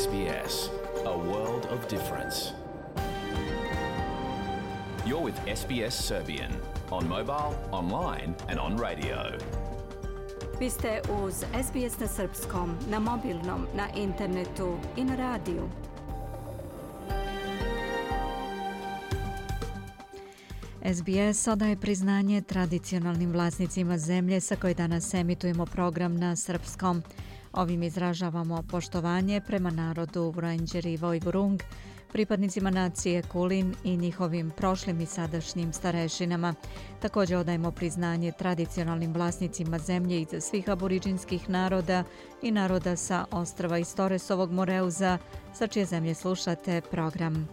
SBS, a world of difference. You're with SBS Serbian on mobile, online and on radio. Vi ste uz SBS na srpskom, na mobilnom, na internetu i na radiju. SBS odaje priznanje tradicionalnim vlasnicima zemlje sa koje danas emitujemo program na srpskom. Ovim izražavamo poštovanje prema narodu Vranđeri i Vojvurung, pripadnicima nacije Kulin i njihovim prošlim i sadašnjim starešinama. Također odajemo priznanje tradicionalnim vlasnicima zemlje iz svih aboriđinskih naroda i naroda sa ostrva iz Toresovog Moreuza, sa čije zemlje slušate program.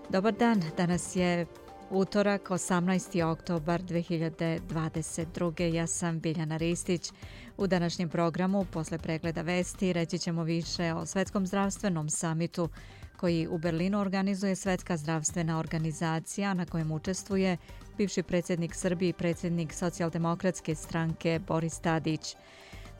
Dobar dan, danas je utorak, 18. oktobar 2022. Ja sam Biljana Ristić. U današnjem programu, posle pregleda vesti, reći ćemo više o Svetskom zdravstvenom samitu koji u Berlinu organizuje Svetska zdravstvena organizacija, na kojem učestvuje bivši predsjednik Srbije i predsjednik Socijaldemokratske stranke Boris Tadić.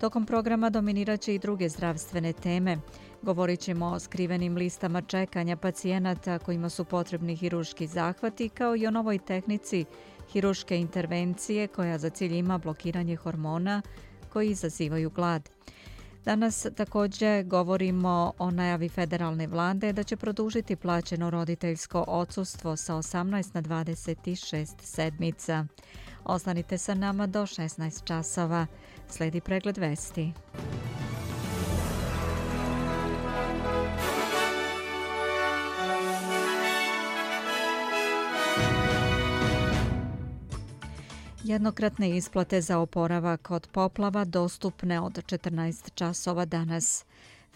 Tokom programa dominirat će i druge zdravstvene teme. Govorit ćemo o skrivenim listama čekanja pacijenata kojima su potrebni hiruški zahvati, kao i o novoj tehnici hiruške intervencije koja za cilj ima blokiranje hormona koji izazivaju glad. Danas također govorimo o najavi federalne vlade da će produžiti plaćeno roditeljsko odsustvo sa 18 na 26 sedmica. Ostanite sa nama do 16 časova. Slijedi pregled vesti. Jednokratne isplate za oporavak od poplava dostupne od 14 časova danas.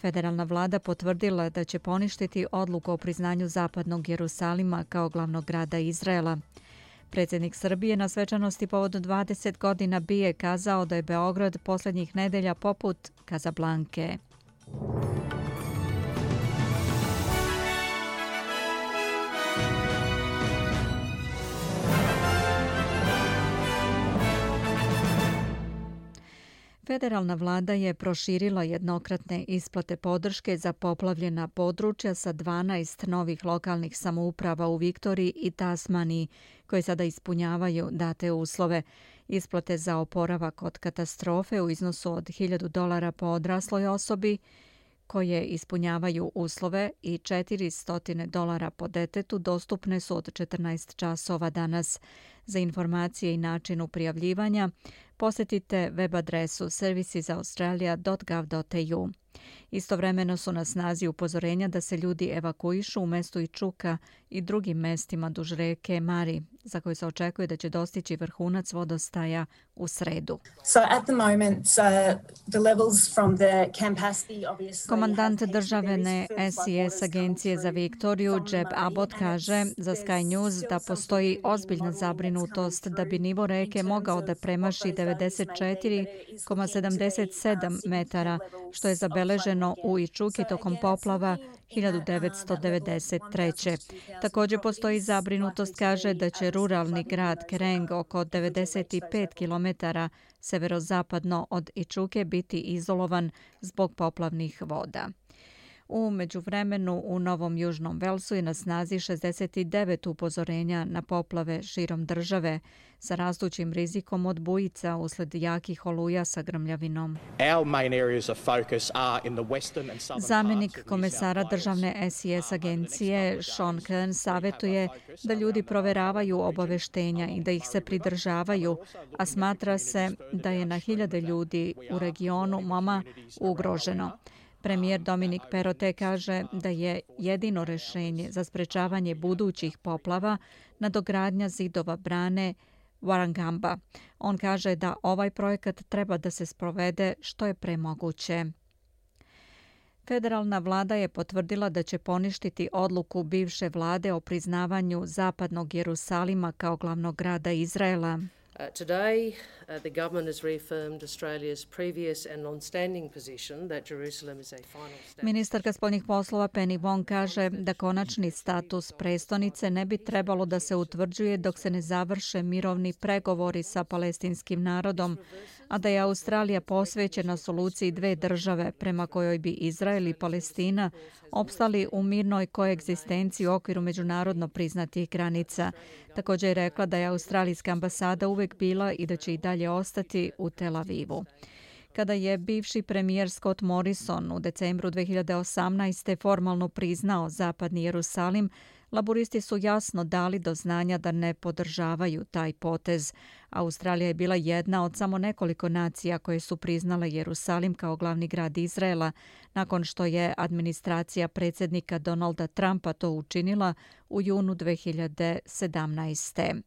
Federalna vlada potvrdila da će poništiti odluku o priznanju zapadnog Jerusalima kao glavnog grada Izraela. Predsjednik Srbije na svečanosti povodom 20 godina BIA kazao da je Beograd posljednjih nedelja poput Kazablanke. Federalna vlada je proširila jednokratne isplate podrške za poplavljena područja sa 12 novih lokalnih samouprava u Viktoriji i Tasmaniji, koje sada ispunjavaju date uslove. Isplate za oporavak od katastrofe u iznosu od $1.000 po odrasloj osobi, koje ispunjavaju uslove, i $400 po detetu dostupne su od 14 časova danas. Za informacije i načinu prijavljivanja posjetite web adresu servicesaustralia.gov.au. Istovremeno su na snazi upozorenja da se ljudi evakuišu u mestu Ičuka i drugim mestima duž reke Mari, za koje se očekuje da će dostići vrhunac vodostaja u sredu. Komandant državne SIS agencije za Viktoriju Jeb Abbott kaže za Sky News da postoji ozbiljna zabrinutost da bi nivo reke mogao da premaši 94,77 metara, što je zabeleženo u Ičuki tokom poplava 1993. Također postoji zabrinutost, kaže, da će ruralni grad Kereng oko 95 km severozapadno od Ičuke biti izolovan zbog poplavnih voda. U međuvremenu u Novom Južnom Velsu je na snazi 69 upozorenja na poplave širom države sa rastućim rizikom od bujica usled jakih oluja sa grmljavinom. Zamjenik komesara državne SIS agencije Sean Kern savjetuje da ljudi proveravaju obaveštenja i da ih se pridržavaju, a smatra se da je na hiljade ljudi u regionu Moma ugroženo. Premijer Dominik Perrottet kaže da je jedino rješenje za sprečavanje budućih poplava nadogradnja zidova brane Warragamba. On kaže da ovaj projekat treba da se sprovede što je pre moguće. Federalna vlada je potvrdila da će poništiti odluku bivše vlade o priznavanju zapadnog Jerusalima kao glavnog grada Izraela. Today, the government has reaffirmed Australia's previous and long-standing position that Jerusalem is a final state. Ministarka spoljnih poslova Penny Wong kaže da konačni status prestonice ne bi trebalo da se utvrđuje dok se ne završe mirovni pregovori sa palestinskim narodom, a da je Australija posvećena soluciji dve države prema kojoj bi Izrael i Palestina opstali u mirnoj koegzistenciji u okviru međunarodno priznatih granica. Također je rekla da je australijska ambasada uvek bila i da će i dalje ostati u Tel Avivu. Kada je bivši premijer Scott Morrison u decembru 2018. formalno priznao zapadni Jerusalim, laburisti su jasno dali do znanja da ne podržavaju taj potez. Australija je bila jedna od samo nekoliko nacija koje su priznale Jerusalim kao glavni grad Izraela, nakon što je administracija predsjednika Donalda Trumpa to učinila u junu 2017.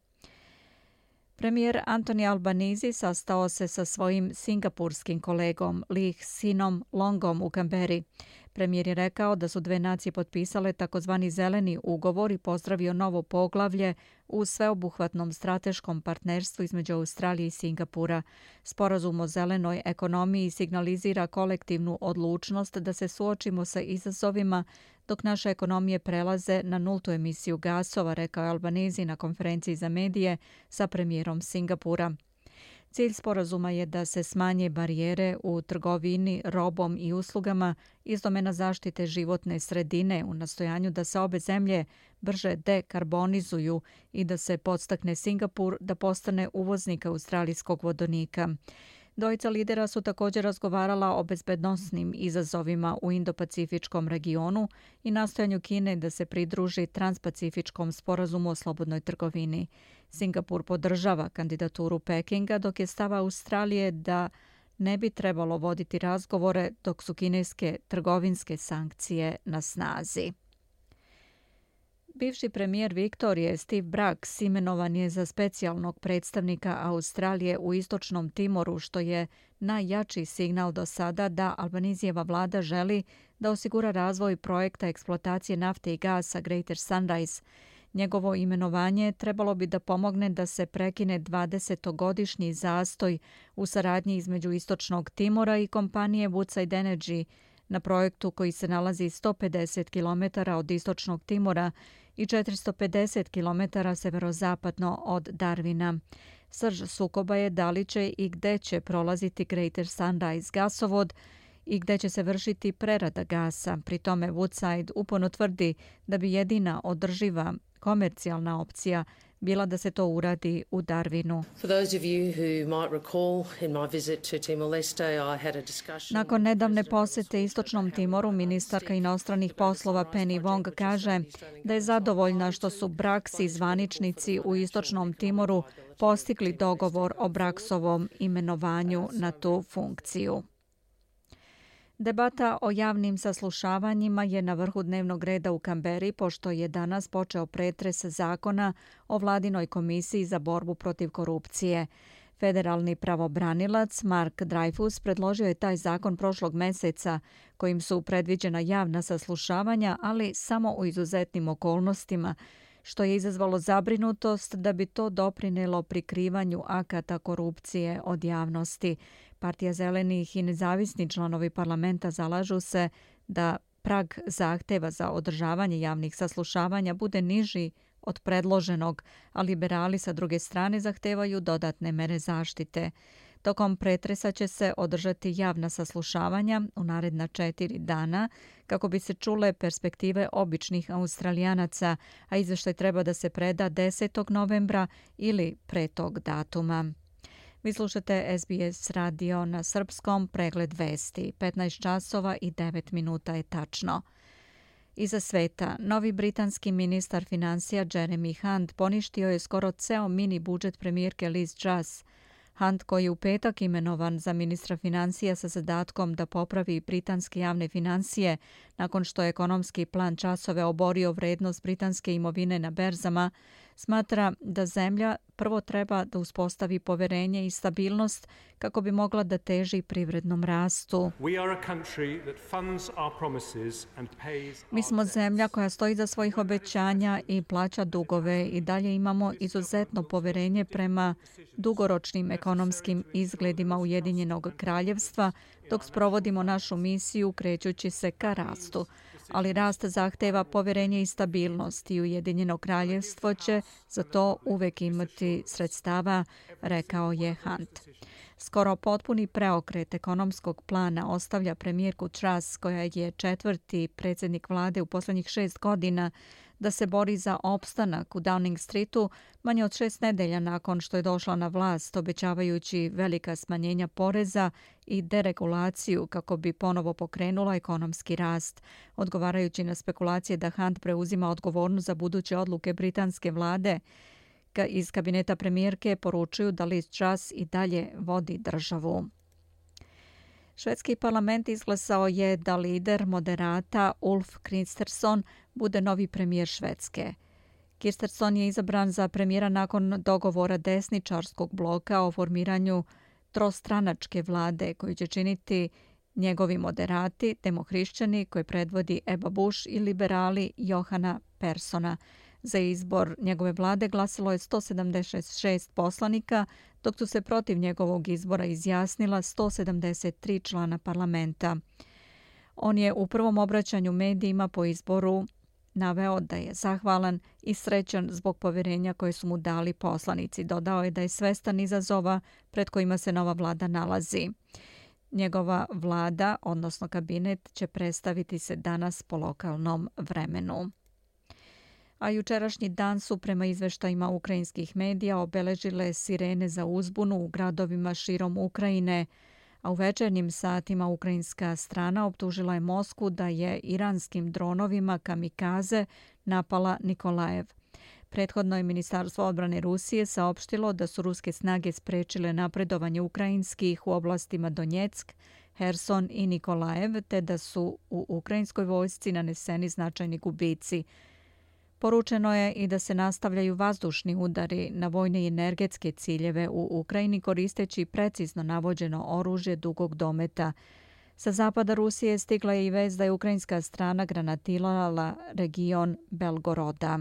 Premijer Anthony Albanese sastao se sa svojim singapurskim kolegom Lee Hsienom Longom u Kamberi. Premijer je rekao da su dve nacije potpisale takozvani zeleni ugovor i pozdravio novo poglavlje u sveobuhvatnom strateškom partnerstvu između Australije i Singapura. Sporazum o zelenoj ekonomiji signalizira kolektivnu odlučnost da se suočimo sa izazovima dok naše ekonomije prelaze na nultu emisiju gasova, rekao je Albanese na konferenciji za medije sa premijerom Singapura. Cilj sporazuma je da se smanje barijere u trgovini robom i uslugama iz domena zaštite životne sredine u nastojanju da se obe zemlje brže dekarbonizuju i da se podstakne Singapur da postane uvoznik australijskog vodonika. Dvojica lidera su također razgovarala o bezbednosnim izazovima u Indo-Pacifičkom regionu i nastojanju Kine da se pridruži Transpacifičkom sporazumu o slobodnoj trgovini. Singapur podržava kandidaturu Pekinga, dok je stav Australije da ne bi trebalo voditi razgovore dok su kineske trgovinske sankcije na snazi. Bivši premijer Viktorije Steve Bracks imenovan je za specijalnog predstavnika Australije u Istočnom Timoru, što je najjači signal do sada da Albanisijeva vlada želi da osigura razvoj projekta eksploatacije nafte i gasa Greater Sunrise. Njegovo imenovanje trebalo bi da pomogne da se prekine 20-godišnji zastoj u saradnji između Istočnog Timora i kompanije Woodside Energy na projektu koji se nalazi 150 km od Istočnog Timora i 450 km severozapadno od Darwina. Srž sukoba je da li će i gde će prolaziti Greater Sunrise gasovod i gde će se vršiti prerada gasa. Pri tome Woodside uporno tvrdi da bi jedina održiva komercijalna opcija bila da se to uradi u Darwinu. Nakon nedavne posete Istočnom Timoru, ministarka inostranih poslova Penny Wong kaže da je zadovoljna što su Bracks i zvaničnici u Istočnom Timoru postigli dogovor o Bracksovom imenovanju na tu funkciju. Debata o javnim saslušavanjima je na vrhu dnevnog reda u Kamberi, pošto je danas počeo pretres zakona o vladinoj komisiji za borbu protiv korupcije. Federalni pravobranilac Mark Dreyfus predložio je taj zakon prošlog meseca, kojim su predviđena javna saslušavanja, ali samo u izuzetnim okolnostima, što je izazvalo zabrinutost da bi to doprinelo prikrivanju akata korupcije od javnosti. Partija zelenih i nezavisni članovi parlamenta zalažu se da prag zahteva za održavanje javnih saslušavanja bude niži od predloženog, a liberali sa druge strane zahtevaju dodatne mere zaštite. Tokom pretresa će se održati javna saslušavanja u naredna 4 dana kako bi se čule perspektive običnih Australijanaca, a izveštaj treba da se preda 10. novembra ili pre tog datuma. Vi slušate SBS radio na srpskom, pregled vesti. 15 časova i 9 minuta je tačno. Iza sveta, novi britanski ministar financija Jeremy Hunt poništio je skoro ceo mini budžet premijerke Liz Truss. Hunt, koji je u petak imenovan za ministra financija sa zadatkom da popravi britanske javne financije nakon što je ekonomski plan Trussove oborio vrednost britanske imovine na berzama, Smatra da zemlja prvo treba da uspostavi poverenje i stabilnost kako bi mogla da teži privrednom rastu. Mi smo zemlja koja stoji za svojih obećanja i plaća dugove i dalje imamo izuzetno poverenje prema dugoročnim ekonomskim izgledima Ujedinjenog kraljevstva dok sprovodimo našu misiju krećući se ka rastu. Ali rast zahteva poverenje i stabilnost i Ujedinjeno kraljevstvo će za to uvek imati sredstava, rekao je Hunt. Skoro potpuni preokret ekonomskog plana ostavlja premijerku Truss, koja je četvrti predsjednik vlade u posljednjih 6 godina, da se bori za opstanak u Downing Streetu manje od 6 nedelja nakon što je došla na vlast, obećavajući velika smanjenja poreza i deregulaciju kako bi ponovo pokrenula ekonomski rast. Odgovarajući na spekulacije da Hunt preuzima odgovornost za buduće odluke britanske vlade, iz kabineta premijerke poručuju da Liz Truss i dalje vodi državu. Švedski parlament izglasao je da lider moderata Ulf Kristersson bude novi premijer Švedske. Kristersson je izabran za premijera nakon dogovora desničarskog bloka o formiranju trostranačke vlade koju će činiti njegovi moderati, demohrišćani koje predvodi Ebba Busch i liberali Johana Perssona. Za izbor njegove vlade glasilo je 176 poslanika, dok su se protiv njegovog izbora izjasnila 173 člana parlamenta. On je u prvom obraćanju medijima po izboru naveo da je zahvalan i srećan zbog poverenja koje su mu dali poslanici. Dodao je da je svestan izazova pred kojima se nova vlada nalazi. Njegova vlada, odnosno kabinet, će predstaviti se danas po lokalnom vremenu. A jučerašnji dan su prema izveštajima ukrajinskih medija obeležile sirene za uzbunu u gradovima širom Ukrajine, a u večernjim satima ukrajinska strana optužila je Moskvu da je iranskim dronovima kamikaze napala Nikolajev. Prethodno je Ministarstvo odbrane Rusije saopštilo da su ruske snage sprečile napredovanje ukrajinskih u oblastima Donjeck, Herson i Nikolajev, te da su u ukrajinskoj vojsci naneseni značajni gubici. Poručeno je i da se nastavljaju vazdušni udari na vojne i energetske ciljeve u Ukrajini koristeći precizno navođeno oružje dugog dometa. Sa zapada Rusije stigla je i vest da je ukrajinska strana granatirala region Belgoroda.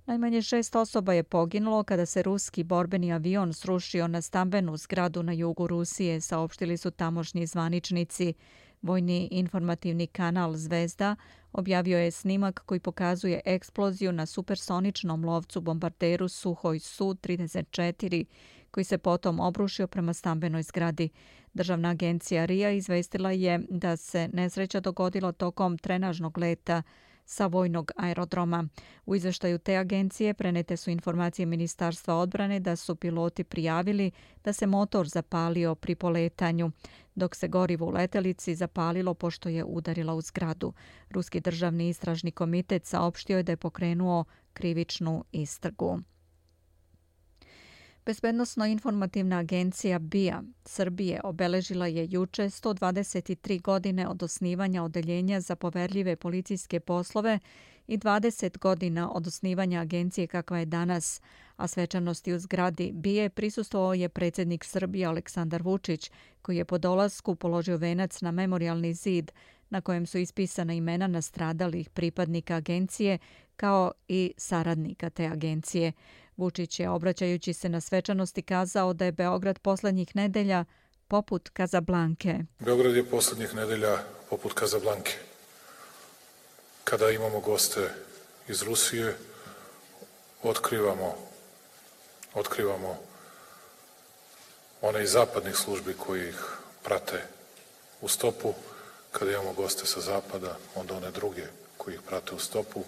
Najmanje 6 osoba je poginulo kada se ruski borbeni avion srušio na stambenu zgradu na jugu Rusije, saopštili su tamošnji zvaničnici. Vojni informativni kanal Zvezda objavio je snimak koji pokazuje eksploziju na supersoničnom lovcu bombarderu Suhoj Su-34, koji se potom obrušio prema stambenoj zgradi. Državna agencija RIA izvestila je da se nesreća dogodila tokom trenažnog leta sa vojnog aerodroma. U izveštaju te agencije prenete su informacije Ministarstva odbrane da su piloti prijavili da se motor zapalio pri poletanju, dok se gorivo u letelici zapalilo pošto je udarila u zgradu. Ruski državni istražni komitet saopštio je da je pokrenuo krivičnu istragu. Bezbednosno-informativna agencija BIA Srbije obeležila je juče 123 godine od osnivanja odeljenja za poverljive policijske poslove i 20 godina od osnivanja agencije kakva je danas, a svečanosti u zgradi BIA prisustvovao je predsjednik Srbije Aleksandar Vučić, koji je po dolasku položio venac na memorijalni zid na kojem su ispisana imena nastradalih pripadnika agencije kao i saradnika te agencije. Vučić je, obraćajući se na svečanosti, kazao da je Beograd posljednjih nedelja poput Kazablanke. Beograd je posljednjih nedelja poput Kazablanke. Kada imamo goste iz Rusije, otkrivamo one iz zapadnih službi koji ih prate u stopu. Kada imamo goste sa zapada, onda one druge koji ih prate u stopu.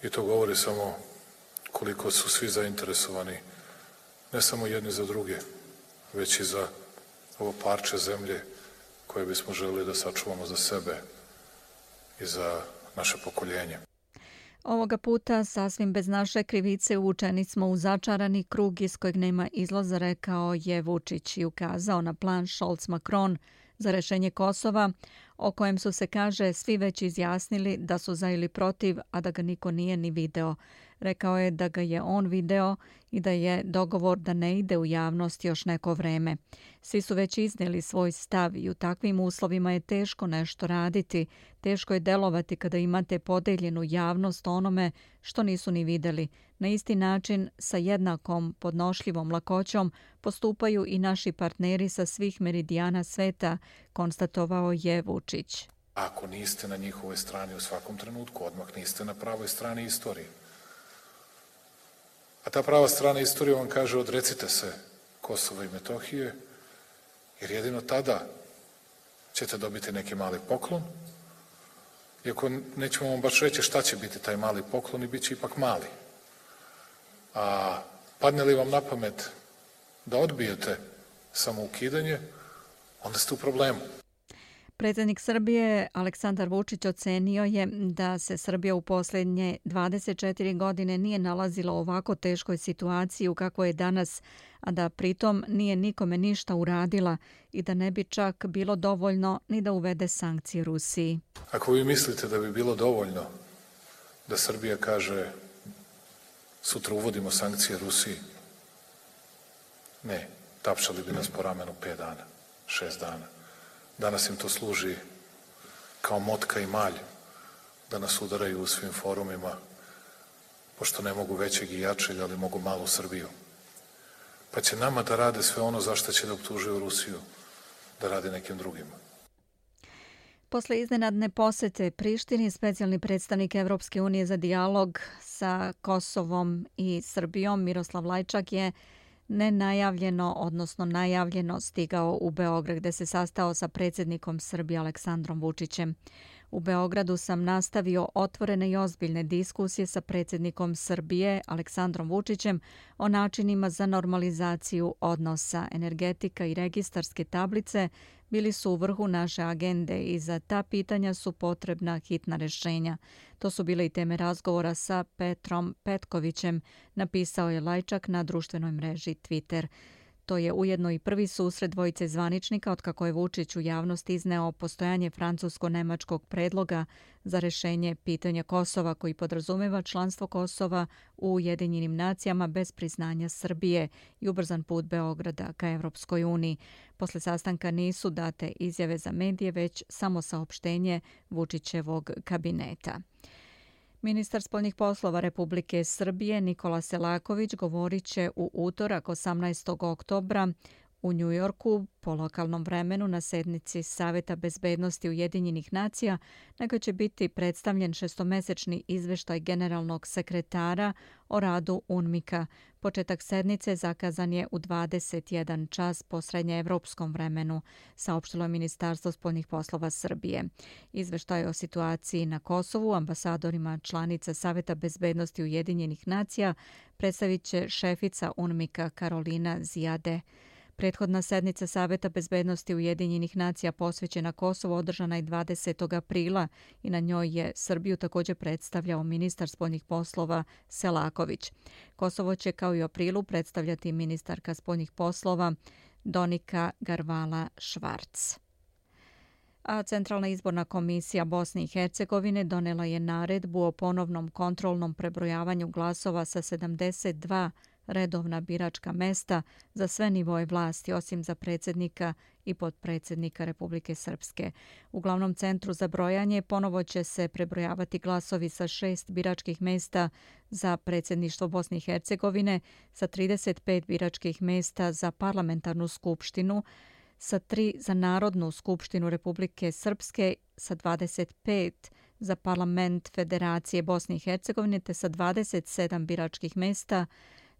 I to govori samo koliko su svi zainteresovani, ne samo jedni za druge, već i za ovo parče zemlje koje bismo želeli da sačuvamo za sebe i za naše pokoljenje. Ovoga puta, sasvim bez naše krivice, uvučeni smo u začarani krug iz kojeg nema izlaza, rekao je Vučić i ukazao na plan Scholz-Macron za rešenje Kosova, o kojem su se, kaže, svi već izjasnili da su za ili protiv, a da ga niko nije ni video. Rekao je da ga je on video i da je dogovor da ne ide u javnost još neko vreme. Svi su već iznijeli svoj stav i u takvim uslovima je teško nešto raditi. Teško je delovati kada imate podeljenu javnost onome što nisu ni videli. Na isti način, sa jednakom podnošljivom lakoćom, postupaju i naši partneri sa svih meridijana sveta, konstatovao je Vučić. Ako niste na njihovoj strani u svakom trenutku, odmah niste na pravoj strani istorije. A ta prava strana istorije vam kaže odrecite se Kosova i Metohije, jer jedino tada ćete dobiti neki mali poklon, iako nećemo vam baš reći šta će biti taj mali poklon i bit će ipak mali. A padne li vam na pamet da odbijete samoukidanje, onda ste u problemu. Predsjednik Srbije Aleksandar Vučić ocenio je da se Srbija u posljednje 24 godine nije nalazila u ovako teškoj situaciji u kakvoj je danas, a da pritom nije nikome ništa uradila i da ne bi čak bilo dovoljno ni da uvede sankcije Rusiji. Ako vi mislite da bi bilo dovoljno da Srbija kaže sutra uvodimo sankcije Rusiji, ne, tapšali bi nas po ramenu 5 dana, 6 dana. Danas im to služi kao motka i malj da nas udaraju u svim forumima, pošto ne mogu većeg i jačeg, ali mogu malu Srbiju. Pa će nama da rade sve ono zašto će da optužuju Rusiju, da rade nekim drugima. Posle iznenadne posete Prištini, specijalni predstavnik Evropske unije za dijalog sa Kosovom i Srbijom Miroslav Lajčak je nenajavljeno, odnosno najavljeno stigao u Beograd gde se sastao sa predsjednikom Srbije Aleksandrom Vučićem. U Beogradu sam nastavio otvorene i ozbiljne diskusije sa predsjednikom Srbije Aleksandrom Vučićem o načinima za normalizaciju odnosa. Energetika i registarske tablice bili su u vrhu naše agende i za ta pitanja su potrebna hitna rješenja. To su bile i teme razgovora sa Petrom Petkovićem, napisao je Lajčak na društvenoj mreži Twitter. To je ujedno i prvi susret dvojice zvaničnika otkako je Vučić u javnost izneo postojanje francusko-nemačkog predloga za rješenje pitanja Kosova koji podrazumeva članstvo Kosova u Ujedinjenim nacijama bez priznanja Srbije i ubrzan put Beograda ka Evropskoj uniji. Posle sastanka nisu date izjave za medije, već samo saopštenje Vučićevog kabineta. Ministar spoljnih poslova Republike Srbije Nikola Selaković govorit će u utorak 18. oktobra u Njujorku po lokalnom vremenu na sednici Saveta bezbednosti Ujedinjenih nacija, na kojoj će biti predstavljen šestomesečni izveštaj generalnog sekretara o radu UNMIK-a. Početak sednice zakazan je u 21 čas po srednjeevropskom vremenu, saopštilo je Ministarstvo spoljnih poslova Srbije. Izveštaj o situaciji na Kosovu ambasadorima članica Saveta bezbednosti Ujedinjenih nacija predstavit će šefica UNMIK-a Karolina Zijade. Prethodna sednica Saveta bezbednosti Ujedinjenih nacija posvećena Kosovu održana je 20. aprila i na njoj je Srbiju također predstavljao ministar spoljnih poslova Selaković. Kosovo će kao i u aprilu predstavljati ministarka spoljnih poslova Donika Garvala-Švarc. A Centralna izborna komisija Bosne i Hercegovine donela je naredbu o ponovnom kontrolnom prebrojavanju glasova sa 72 redovna biračka mesta za sve nivoje vlasti, osim za predsjednika i potpredsjednika Republike Srpske. U glavnom centru za brojanje ponovo će se prebrojavati glasovi sa 6 biračkih mesta za predsjedništvo Bosne i Hercegovine, sa 35 biračkih mesta za parlamentarnu skupštinu, sa 3 za Narodnu skupštinu Republike Srpske, sa 25 za parlament Federacije Bosne i Hercegovine, te sa 27 biračkih mesta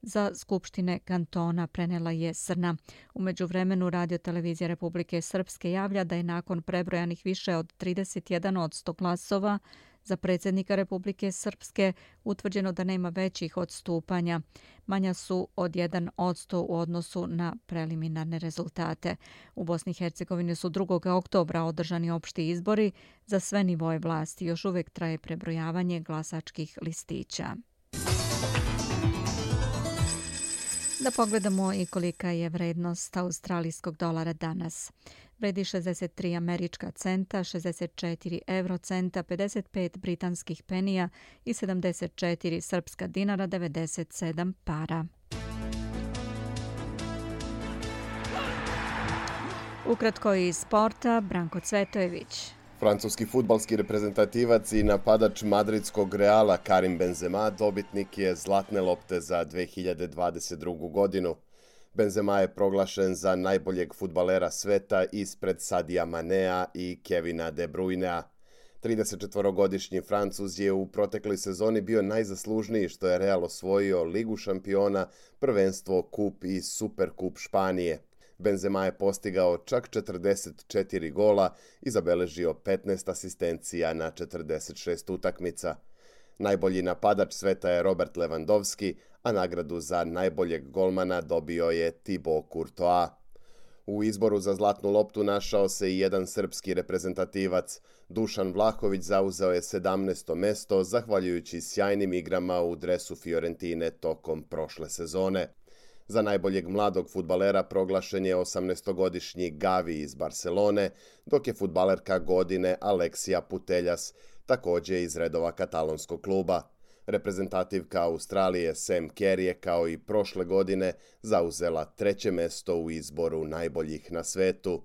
za skupštine kantona, prenela je Srna. U međuvremenu Radio-televizija Republike Srpske javlja da je nakon prebrojanih više od 31% glasova za predsjednika Republike Srpske utvrđeno da nema većih odstupanja. Manja su od 1% u odnosu na preliminarne rezultate. U Bosni i Hercegovini su 2. oktobra održani opšti izbori za sve nivoje vlasti. Još uvijek traje prebrojavanje glasačkih listića. Da pogledamo i kolika je vrednost australijskog dolara danas. Vredi 63 američka centa, 64 eurocenta, 55 britanskih penija i 74 srpska dinara, 97 para. Ukratko iz sporta, Branko Cvetojević. Francuski fudbalski reprezentativac i napadač madridskog Reala Karim Benzema dobitnik je zlatne lopte za 2022. godinu. Benzema je proglašen za najboljeg fudbalera sveta ispred Sadija Manea i Kevina De Bruynea. 34-godišnji Francuz je u protekloj sezoni bio najzaslužniji što je Real osvojio Ligu šampiona, prvenstvo, kup i Superkup Španije. Benzema je postigao čak 44 gola i zabeležio 15 asistencija na 46 utakmica. Najbolji napadač sveta je Robert Lewandowski, a nagradu za najboljeg golmana dobio je Thibaut Courtois. U izboru za zlatnu loptu našao se i jedan srpski reprezentativac. Dušan Vlahović zauzeo je 17. mesto zahvaljujući sjajnim igrama u dresu Fiorentine tokom prošle sezone. Za najboljeg mladog fudbalera proglašen je 18-godišnji Gavi iz Barcelone, dok je fudbalerka godine Alexia Putellas, također iz redova katalonskog kluba. Reprezentativka Australije Sam Kerr je kao i prošle godine zauzela 3. mesto u izboru najboljih na svetu.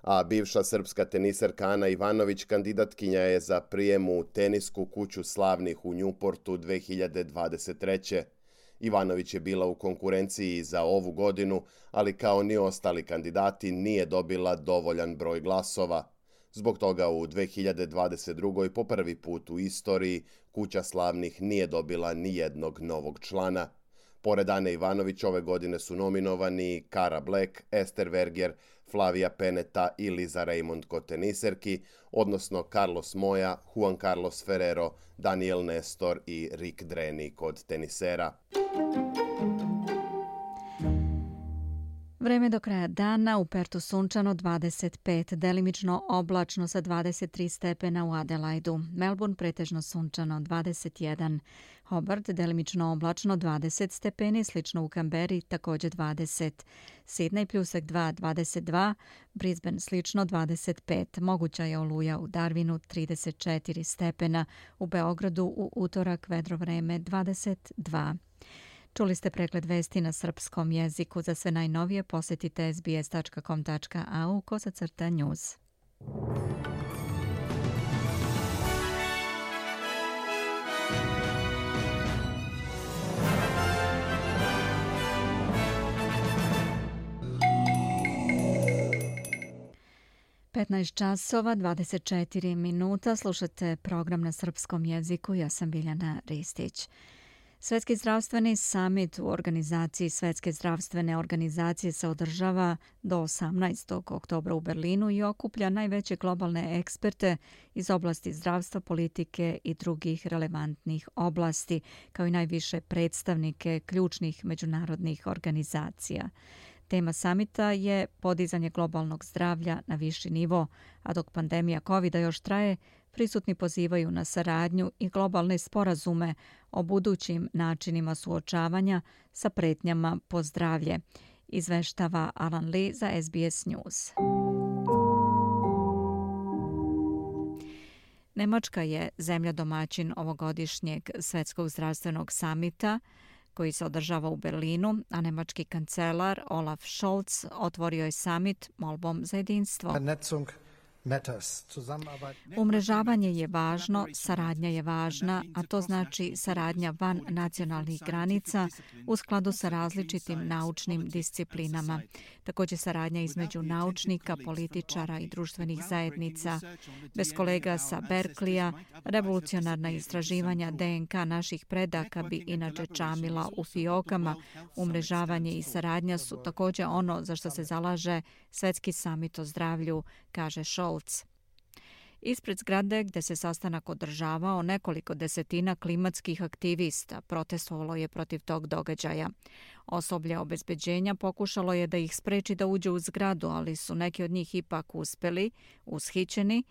A bivša srpska teniserka Ana Ivanović kandidatkinja je za prijem u tenisku kuću slavnih u Newportu 2023. Ivanović je bila u konkurenciji za ovu godinu, ali kao ni ostali kandidati nije dobila dovoljan broj glasova. Zbog toga u 2022. po prvi put u istoriji kuća slavnih nije dobila ni jednog novog člana. Pored Ane Ivanović ove godine su nominovani Cara Black, Esther Verger, Flavia Pennetta i Lisa Raymond kod teniserki, odnosno Carlos Moya, Juan Carlos Ferrero, Daniel Nestor i Rick Dreni kod tenisera. Vreme do kraja dana, u Pertu sunčano 25, delimično oblačno sa 23 stepena u Adelaidu. Melbourne pretežno sunčano 21, Hobart delimično oblačno 20 stepeni, slično u Kamberi također 20, Sydney pljusak 2, 22, Brisbane slično 25, moguća je oluja u Darwinu 34 stepena, u Beogradu u utorak vedro vreme 22. Čuli ste pregled vesti na srpskom jeziku. Za sve najnovije posjetite sbs.com.au/news. (15:24) Slušate program na srpskom jeziku. Ja sam Biljana Ristić. Svetski zdravstveni summit u organizaciji Svetske zdravstvene organizacije se održava do 18. oktobra u Berlinu i okuplja najveće globalne eksperte iz oblasti zdravstva, politike i drugih relevantnih oblasti, kao i najviše predstavnike ključnih međunarodnih organizacija. Tema samita je podizanje globalnog zdravlja na viši nivo, a dok pandemija COVID-a još traje, prisutni pozivaju na saradnju i globalne sporazume o budućim načinima suočavanja sa pretnjama po zdravlje, izveštava Alan Lee za SBS News. Nemačka je zemlja domaćin ovogodišnjeg Svetskog zdravstvenog samita koji se održava u Berlinu, a nemački kancelar Olaf Scholz otvorio je samit molbom za jedinstvo. Umrežavanje je važno, saradnja je važna, a to znači saradnja van nacionalnih granica u skladu sa različitim naučnim disciplinama. Također saradnja između naučnika, političara i društvenih zajednica. Bez kolega sa Berkleya, revolucionarna istraživanja DNK naših predaka bi inače čamila u fiokama. Umrežavanje i saradnja su također ono za što se zalaže Svetski samit o zdravlju, kaže Scholz. Ispred zgrade gdje se sastanak održavao, nekoliko desetina klimatskih aktivista protestovalo je protiv tog događaja. Osoblje obezbeđenja pokušalo je da ih spreči da uđe u zgradu, ali su neki od njih ipak uspjeli, ushićeni,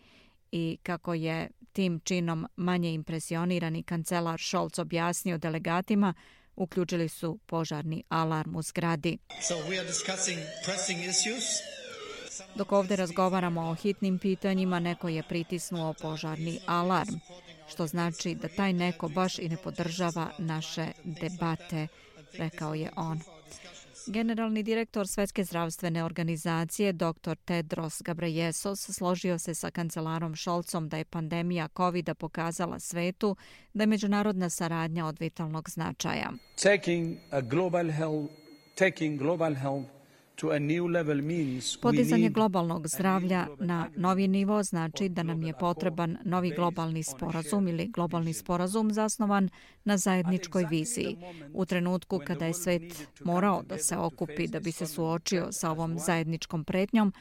i kako je tim činom manje impresionirani kancelar Scholz objasnio delegatima, uključili su požarni alarm u zgradi. Dok ovdje razgovaramo o hitnim pitanjima, neko je pritisnuo požarni alarm, što znači da taj neko baš i ne podržava naše debate, rekao je on. Generalni direktor Svetske zdravstvene organizacije dr. Tedros Ghebreyesus složio se sa kancelarom Scholzom da je pandemija COVID-a pokazala svetu da je međunarodna saradnja od vitalnog značaja. Podizanje globalnog zdravlja na novi nivo znači da nam je potreban novi globalni sporazum ili globalni sporazum zasnovan na zajedničkoj viziji. U trenutku kada je svet morao da se okupi da bi se suočio sa ovom zajedničkom pretnjom,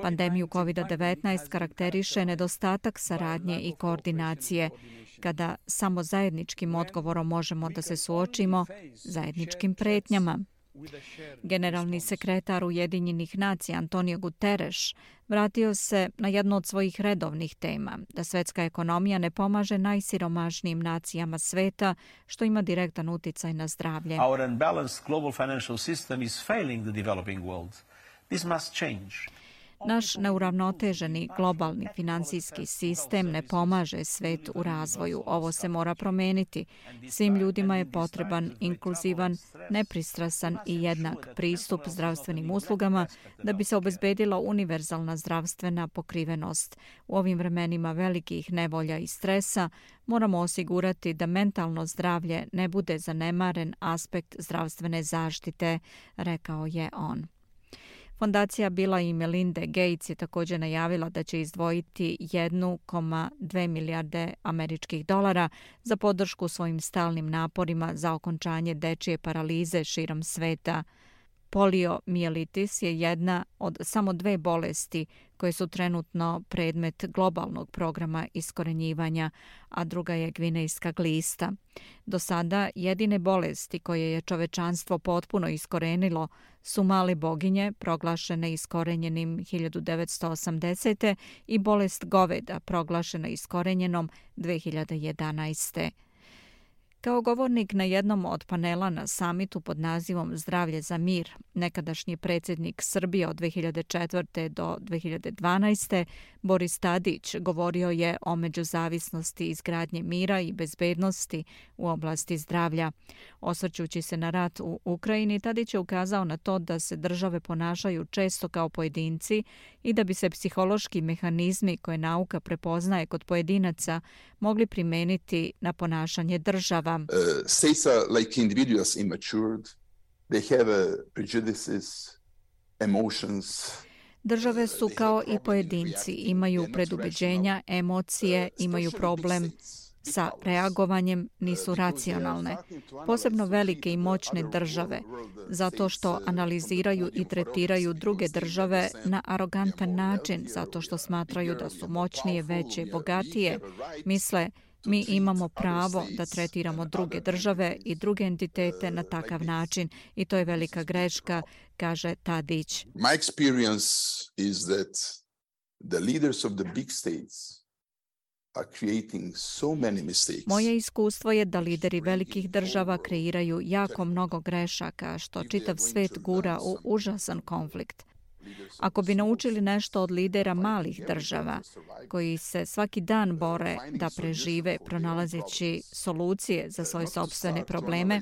pandemiju COVID-19 karakteriše nedostatak saradnje i koordinacije, kada samo zajedničkim odgovorom možemo da se suočimo zajedničkim pretnjama. Generalni sekretar Ujedinjenih nacija Antonio Guterres vratio se na jednu od svojih redovnih tema, da svetska ekonomija ne pomaže najsiromašnijim nacijama sveta, što ima direktan uticaj na zdravlje. Our unbalanced global financial system is failing the developing world. This must change. Naš neuravnoteženi globalni finansijski sistem ne pomaže svet u razvoju. Ovo se mora promeniti. Svim ljudima je potreban inkluzivan, nepristrasan i jednak pristup zdravstvenim uslugama da bi se obezbedila univerzalna zdravstvena pokrivenost. U ovim vremenima velikih nevolja i stresa moramo osigurati da mentalno zdravlje ne bude zanemaren aspekt zdravstvene zaštite, rekao je on. Fondacija Billa i Melinda Gates je također najavila da će izdvojiti 1,2 milijarde američkih dolara za podršku svojim stalnim naporima za okončanje dečije paralize širom sveta. Poliomijelitis je jedna od samo 2 bolesti koje su trenutno predmet globalnog programa iskorenjivanja, a druga je gvinejska glista. Do sada jedine bolesti koje je čovečanstvo potpuno iskorenilo su male boginje, proglašene iskorenjenim 1980. i bolest goveda, proglašena iskorenjenom 2011. Kao govornik na jednom od panela na samitu pod nazivom Zdravlje za mir, nekadašnji predsjednik Srbije od 2004. do 2012. Boris Tadić govorio je o međuzavisnosti izgradnje mira i bezbednosti u oblasti zdravlja. Osvrćući se na rat u Ukrajini, Tadić je ukazao na to da se države ponašaju često kao pojedinci i da bi se psihološki mehanizmi koje nauka prepoznaje kod pojedinaca mogli primeniti na ponašanje država. States are like individuals immatured. They have prejudices, emotions. Države su kao i pojedinci, imaju predubeđenja, emocije, imaju problem sa reagovanjem, nisu racionalne. Posebno velike i moćne države, zato što analiziraju i tretiraju druge države na arogantan način, zato što smatraju da su moćnije, veće, bogatije, misle mi imamo pravo da tretiramo druge države i druge entitete na takav način i to je velika greška, kaže Tadić. My experience is that the leaders of the big states are creating so many mistakes. Moje iskustvo je da lideri velikih država kreiraju jako mnogo grešaka, što čitav svet gura u užasan konflikt. Ako bi naučili nešto od lidera malih država, koji se svaki dan bore da prežive pronalazeći solucije za svoje sopstvene probleme,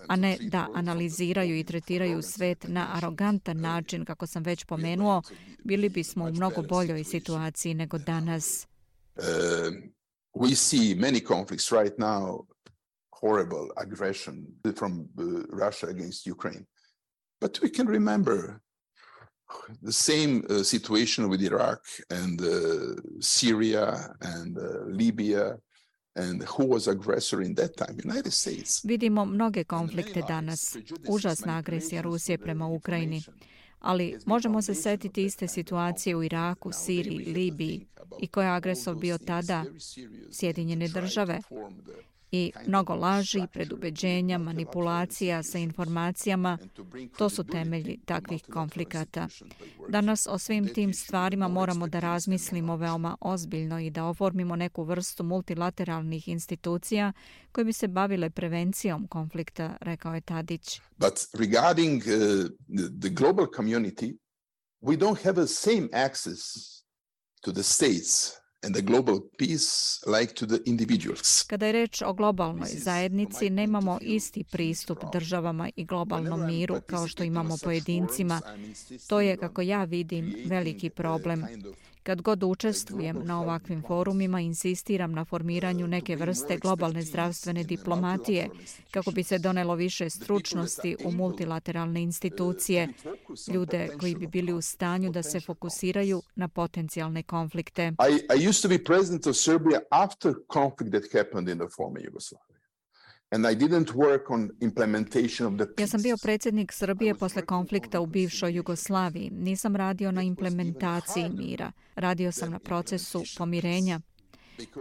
a ne da analiziraju i tretiraju svet na arogantan način, kako sam već pomenuo, bili bismo u mnogo boljoj situaciji nego danas. We see many conflicts right now, horrible aggression from Russia against Ukraine. But we can remember the same situation with Iraq and Syria and Libya and who was aggressor in that time? United States. Vidimo mnoge konflikte danas. Užasna agresija Rusije prema Ukrajini. Ali možemo se setiti iste situacije u Iraku, Siriji, Libiji i ko je agresor bio tada? Sjedinjene države. I mnogo laži, predubeđenja, manipulacija sa informacijama, to su temelji takvih konflikata. Danas o svim tim stvarima moramo da razmislimo veoma ozbiljno i da oformimo neku vrstu multilateralnih institucija koje bi se bavile prevencijom konflikta, rekao je Tadić. But regarding the global community, we don't have the same access to the states and the global peace like to the individuals. Kada je reč o globalnoj zajednici, nemamo isti pristup državama i globalnom miru kao što imamo pojedincima. To je, kako ja vidim, veliki problem. Kad god učestvujem na ovakvim forumima, insistiram na formiranju neke vrste globalne zdravstvene diplomatije kako bi se donelo više stručnosti u multilateralne institucije, ljude koji bi bili u stanju da se fokusiraju na potencijalne konflikte. I used to be president of Serbia after conflict that happened in the former Yugoslavia. And I didn't work on implementation of the peace. Ja sam bio predsjednik Srbije posle konflikta u bivšoj Jugoslaviji. Nisam radio na implementaciji mira. Radio sam na procesu pomirenja.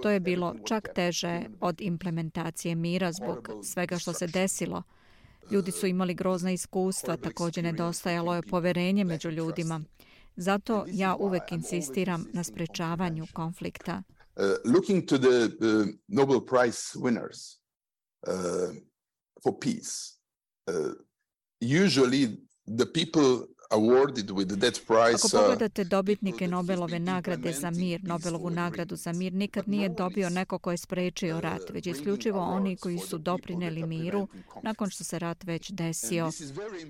To je bilo čak teže od implementacije mira zbog svega što se desilo. Ljudi su imali grozna iskustva, također nedostajalo je poverenje među ljudima. Zato ja uvek insistiram na sprečavanju konflikta. Looking to the Nobel Prize winners for peace, usually the people awarded with that prize. Ako pogledate dobitnike Nobelove nagrade za mir, Nobelovu nagradu za mir, nikad nije dobio neko ko je sprečio rat, već isključivo oni koji su doprineli miru nakon što se rat već desio.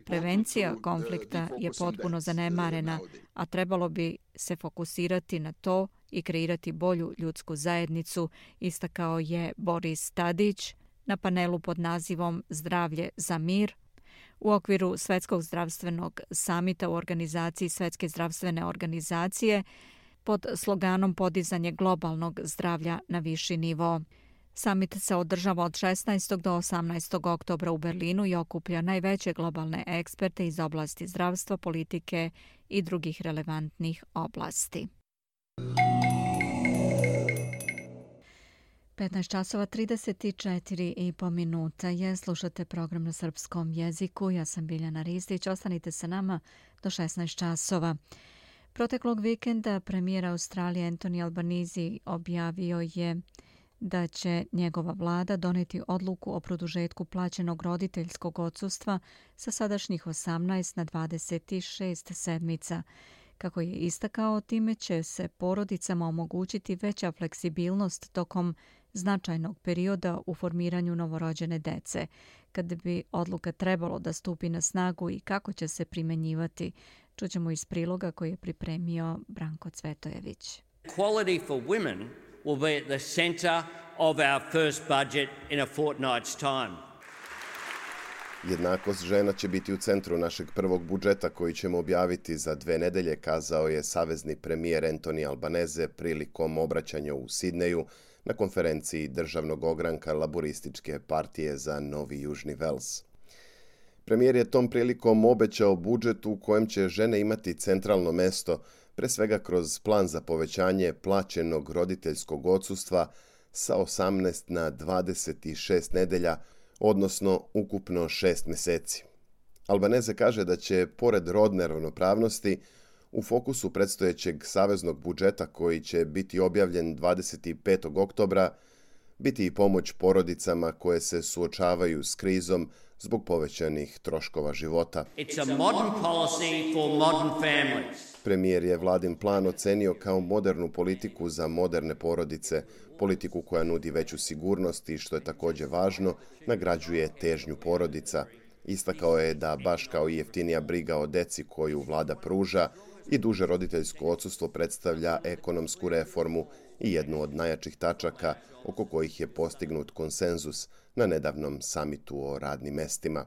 Prevencija konflikta je potpuno zanemarena, a trebalo bi se fokusirati na to i kreirati bolju ljudsku zajednicu, istakao je Boris Tadić na panelu pod nazivom Zdravlje za mir u okviru Svetskog zdravstvenog samita u organizaciji Svetske zdravstvene organizacije pod sloganom podizanje globalnog zdravlja na viši nivo. Samit se održava od 16. do 18. oktobra u Berlinu i okuplja najveće globalne eksperte iz oblasti zdravstva, politike i drugih relevantnih oblasti. 15 časova 34,5 minuta je. Slušate program na srpskom jeziku. Ja sam Biljana Ristić. Ostanite sa nama do 16 časova. Proteklog vikenda premijer Australije Anthony Albanese objavio je da će njegova vlada doneti odluku o produžetku plaćenog roditeljskog odsustva sa sadašnjih 18 na 26 sedmica. Kako je istakao, time će se porodicama omogućiti veća fleksibilnost tokom značajnog perioda u formiranju novorođene dece. Kada bi odluka trebalo da stupi na snagu i kako će se primenjivati, čućemo iz priloga koji je pripremio Branko Cvetojević. Equality for women will be at the center of our first budget in a fortnight's time. Jednakost žena će biti u centru našeg prvog budžeta koji ćemo objaviti za 2 nedelje, kazao je savezni premijer Anthony Albanese prilikom obraćanja u Sidneju na konferenciji državnog ogranka Laborističke partije za Novi Južni Vels. Premijer je tom prilikom obećao budžet u kojem će žene imati centralno mesto, pre svega kroz plan za povećanje plaćenog roditeljskog odsustva sa 18 na 26 nedelja, odnosno ukupno 6 meseci. Albanese kaže da će, pored rodne ravnopravnosti, u fokusu predstojećeg saveznog budžeta koji će biti objavljen 25. oktobra, biti i pomoć porodicama koje se suočavaju s krizom zbog povećanih troškova života. It's a modern policy for modern families. Premijer je vladin plan ocenio kao modernu politiku za moderne porodice, politiku koja nudi veću sigurnost i, što je također važno, nagrađuje težnju porodica. Istakao je da, baš kao i jeftinija briga o deci koju vlada pruža, i duže roditeljsko odsustvo predstavlja ekonomsku reformu i jednu od najjačih tačaka oko kojih je postignut konsenzus na nedavnom samitu o radnim mestima.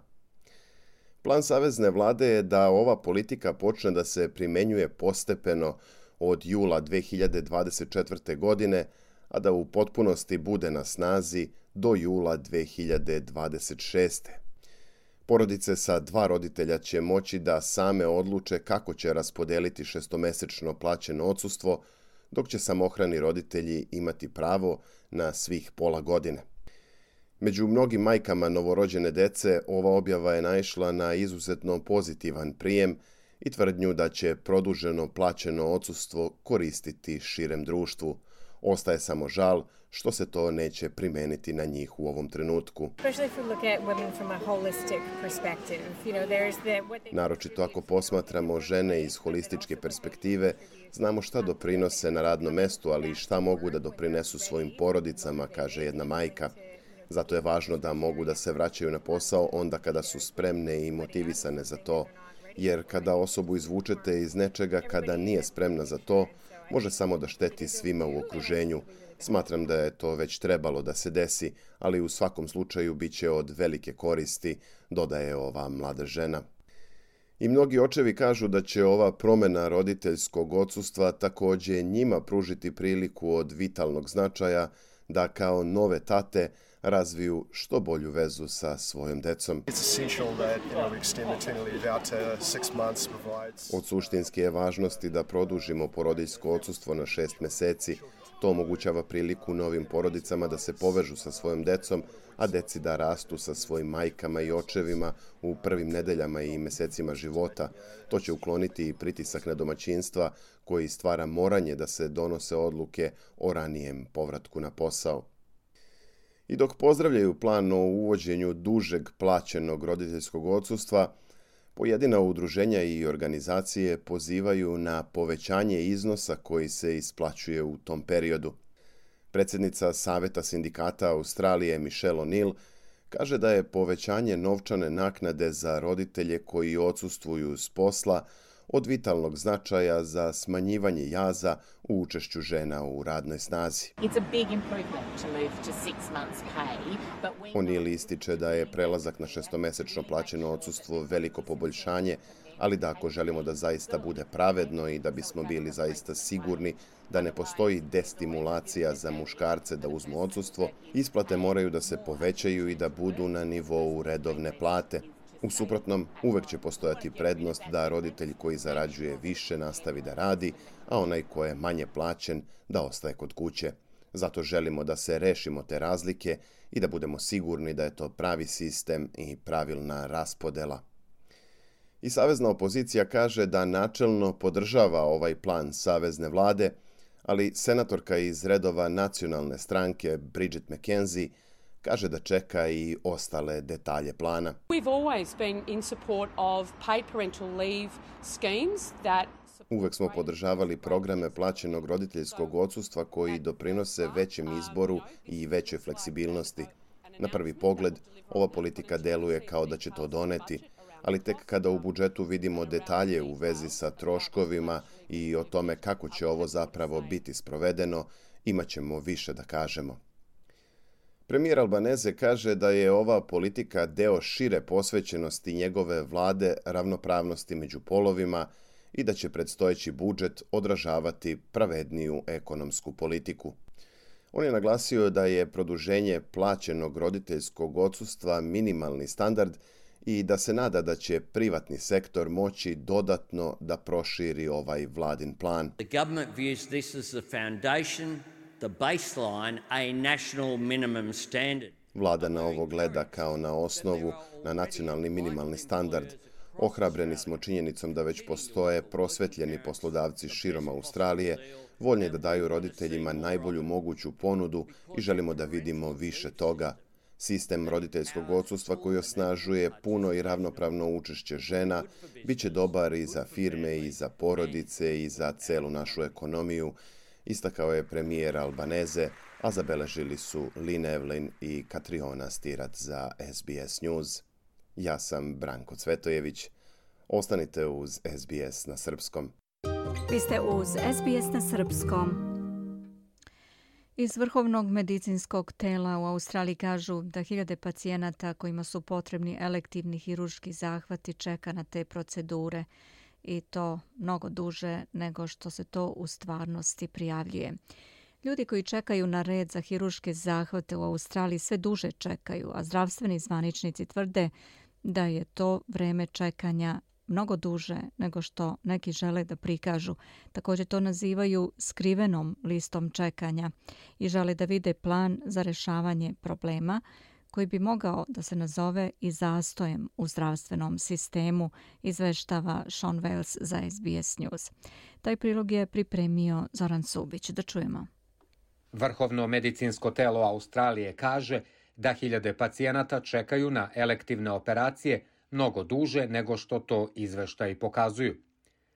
Plan savezne vlade je da ova politika počne da se primenjuje postepeno od jula 2024. godine, a da u potpunosti bude na snazi do jula 2026. Porodice sa 2 roditelja će moći da same odluče kako će raspodeliti 6-mesečno plaćeno odsustvo, dok će samohrani roditelji imati pravo na svih pola godine. Među mnogim majkama novorođene dece ova objava je naišla na izuzetno pozitivan prijem i tvrdnju da će produženo plaćeno odsustvo koristiti širem društvu. Ostaje samo žal što se to neće primeniti na njih u ovom trenutku. Naročito ako posmatramo žene iz holističke perspektive, znamo šta doprinose na radnom mestu, ali i šta mogu da doprinesu svojim porodicama, kaže jedna majka. Zato je važno da mogu da se vraćaju na posao onda kada su spremne i motivisane za to, jer kada osobu izvučete iz nečega kada nije spremna za to, može samo da šteti svima u okruženju. Smatram da je to već trebalo da se desi, ali u svakom slučaju bit će od velike koristi, dodaje ova mlada žena. I mnogi očevi kažu da će ova promjena roditeljskog odsustva također njima pružiti priliku od vitalnog značaja da kao nove tate razviju što bolju vezu sa svojom decom. Od suštinske je važnosti da produžimo porodiljsko odsustvo na 6 meseci. To omogućava priliku novim porodicama da se povežu sa svojom decom, a deci da rastu sa svojim majkama i očevima u prvim nedeljama i mesecima života. To će ukloniti i pritisak na domaćinstva koji stvara moranje da se donose odluke o ranijem povratku na posao. I dok pozdravljaju plan o uvođenju dužeg plaćenog roditeljskog odsustva, pojedina udruženja i organizacije pozivaju na povećanje iznosa koji se isplaćuje u tom periodu. Predsjednica Saveta sindikata Australije Michelle O'Neill kaže da je povećanje novčane naknade za roditelje koji odsustvuju s posla od vitalnog značaja za smanjivanje jaza u učešću žena u radnoj snazi. O'Neill ističe da je prelazak na 6-mesečno plaćeno odsustvo veliko poboljšanje, ali da ako želimo da zaista bude pravedno i da bismo bili zaista sigurni da ne postoji destimulacija za muškarce da uzmu odsustvo, isplate moraju da se povećaju i da budu na nivou redovne plate. U suprotnom, uvek će postojati prednost da roditelj koji zarađuje više nastavi da radi, a onaj ko je manje plaćen da ostaje kod kuće. Zato želimo da se rešimo te razlike i da budemo sigurni da je to pravi sistem i pravilna raspodela. I savezna opozicija kaže da načelno podržava ovaj plan savezne vlade, ali senatorka iz redova nacionalne stranke Bridget McKenzie kaže da čeka i ostale detalje plana. Uvek smo podržavali programe plaćenog roditeljskog odsustva koji doprinose većem izboru i većoj fleksibilnosti. Na prvi pogled, ova politika deluje kao da će to doneti, ali tek kada u budžetu vidimo detalje u vezi sa troškovima i o tome kako će ovo zapravo biti sprovedeno, imat ćemo više da kažemo. Premijer Albanese kaže da je ova politika deo šire posvećenosti njegove vlade ravnopravnosti među polovima i da će predstojeći budžet odražavati pravedniju ekonomsku politiku. On je naglasio da je produženje plaćenog roditeljskog odsustva minimalni standard i da se nada da će privatni sektor moći dodatno da proširi ovaj vladin plan. The government views this as the foundation, the baseline, a national minimum standard. Vlada na ovo gleda kao na osnovu, na nacionalni minimalni standard. Ohrabreni smo činjenicom da već postoje prosvetljeni poslodavci širom Australije, voljni da daju roditeljima najbolju moguću ponudu i želimo da vidimo više toga. Sistem roditeljskog odsustva koji osnažuje puno i ravnopravno učešće žena bit će dobar i za firme i za porodice i za celu našu ekonomiju, istakao je premijer Albanese, a zabeležili su Lynn Evelyn i Katriona Stirat za SBS News. Ja sam Branko Cvetojević. Ostanite uz SBS na srpskom. Vi ste uz SBS na srpskom. Iz Vrhovnog medicinskog tela u Australiji kažu da hiljade pacijenata kojima su potrebni elektivni hirurški zahvati čeka na te procedure i to mnogo duže nego što se to u stvarnosti prijavljuje. Ljudi koji čekaju na red za hirurške zahvate u Australiji sve duže čekaju, a zdravstveni zvaničnici tvrde da je to vreme čekanja mnogo duže nego što neki žele da prikažu. Također to nazivaju skrivenom listom čekanja i žele da vide plan za rešavanje problema koji bi mogao da se nazove i zastojem u zdravstvenom sistemu, izveštava Sean Wales za SBS News. Taj prilog je pripremio Zoran Subić. Da čujemo. Vrhovno medicinsko telo Australije kaže da hiljade pacijenata čekaju na elektivne operacije mnogo duže nego što to izveštaji pokazuju.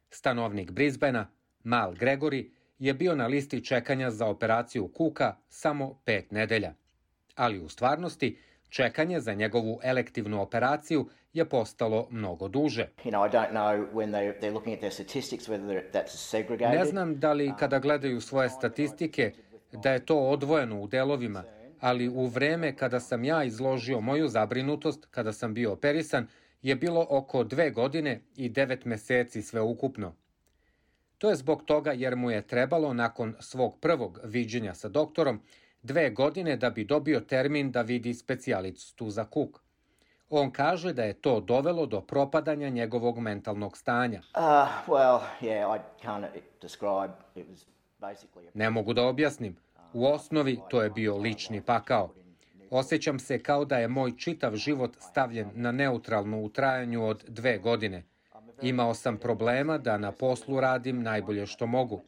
Stanovnik Brisbanea, Mal Gregory, je bio na listi čekanja za operaciju kuka samo 5 nedelja. Ali u stvarnosti, čekanje za njegovu elektivnu operaciju je postalo mnogo duže. Ne znam da li kada gledaju svoje statistike da je to odvojeno u delovima, ali u vreme kada sam ja izložio moju zabrinutost, kada sam bio operisan, je bilo oko 2 godine i 9 meseci sveukupno. To je zbog toga jer mu je trebalo nakon svog prvog viđenja sa doktorom 2 godine da bi dobio termin da vidi specijalistu za kuk. On kaže da je to dovelo do propadanja njegovog mentalnog stanja. Ne mogu da objasnim. U osnovi to je bio lični pakao. Osjećam se kao da je moj čitav život stavljen na neutralno u trajanju od 2 godine. Imao sam problema da na poslu radim najbolje što mogu.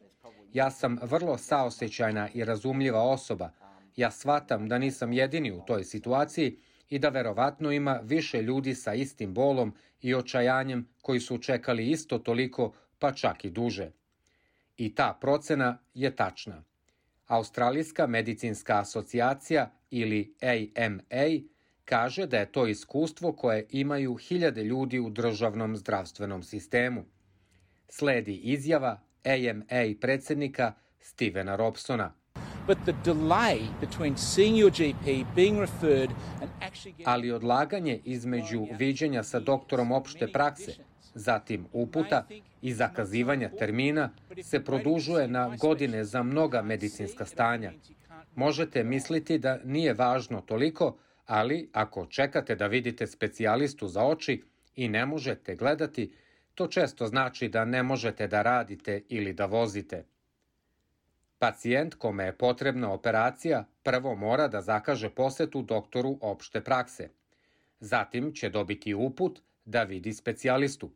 Ja sam vrlo saosećajna i razumljiva osoba. Ja shvatam da nisam jedini u toj situaciji i da verovatno ima više ljudi sa istim bolom i očajanjem koji su čekali isto toliko, pa čak i duže. I ta procena je tačna. Australijska medicinska asocijacija ili AMA kaže da je to iskustvo koje imaju hiljade ljudi u državnom zdravstvenom sistemu. Sledi izjava AMA predsjednika Stevena Robsona. Ali odlaganje između viđenja sa doktorom opšte prakse, zatim uputa i zakazivanja termina se produžuje na godine za mnoga medicinska stanja. Možete misliti da nije važno toliko, ali ako čekate da vidite specijalistu za oči i ne možete gledati, to često znači da ne možete da radite ili da vozite. Pacijent kome je potrebna operacija prvo mora da zakaže posetu doktoru opšte prakse. Zatim će dobiti uput da vidi specijalistu.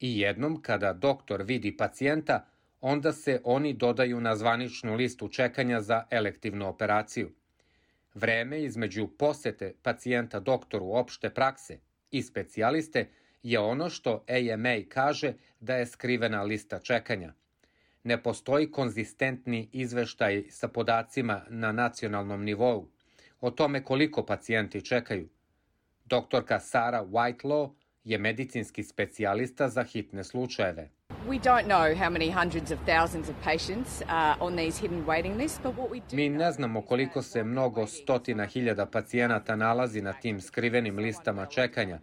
I jednom kada doktor vidi pacijenta, onda se oni dodaju na zvaničnu listu čekanja za elektivnu operaciju. Vreme između posete pacijenta doktoru opšte prakse i specijaliste je ono što AMA kaže da je skrivena lista čekanja. Ne postoji konzistentni izveštaj sa podacima na nacionalnom nivou o tome koliko pacijenti čekaju. Doktorka Sarah Whitelaw je medicinski specijalista za hitne slučajeve. Mi ne znamo koliko se mnogo stotina hiljada pacijenata nalazi na tim skrivenim listama čekanja,